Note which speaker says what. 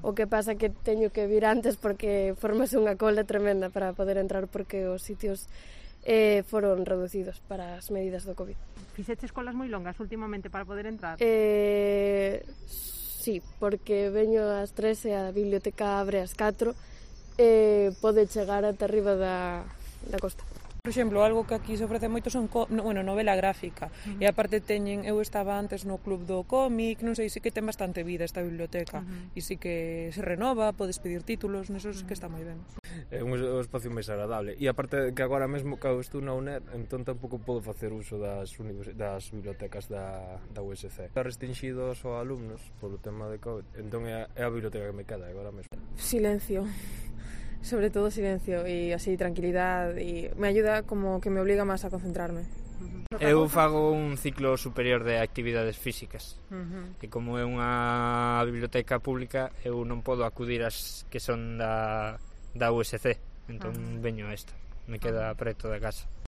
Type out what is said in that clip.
Speaker 1: O que pasa que teño que vir antes porque formase unha cola tremenda para poder entrar porque os sitios foron reducidos para as medidas do COVID.
Speaker 2: Fixeches colas moi longas últimamente para poder entrar?
Speaker 1: Sí, porque veño ás 3 e a biblioteca abre ás 4 pode chegar ata arriba da costa.
Speaker 3: Por exemplo, algo que aquí se ofrece moito son novela gráfica. E aparte eu estaba antes no club do cómic, non sei, sí que ten bastante vida esta biblioteca. E sí que se renova, podes pedir títulos, neso que está moi ben.
Speaker 4: É un espacio máis agradable. E aparte que agora mesmo que estou na UNED, entón tampouco podo facer uso das bibliotecas da USC. Está restringido aos alumnos polo tema de COVID, entón é a biblioteca que me queda agora mesmo.
Speaker 5: Silencio. Sobre todo silencio e así tranquilidade e me ayuda como que me obliga máis a concentrarme.
Speaker 6: Eu fago un ciclo superior de actividades físicas e como é unha biblioteca pública eu non podo acudir ás que son da USC, entón veño a esta, me queda preto da casa.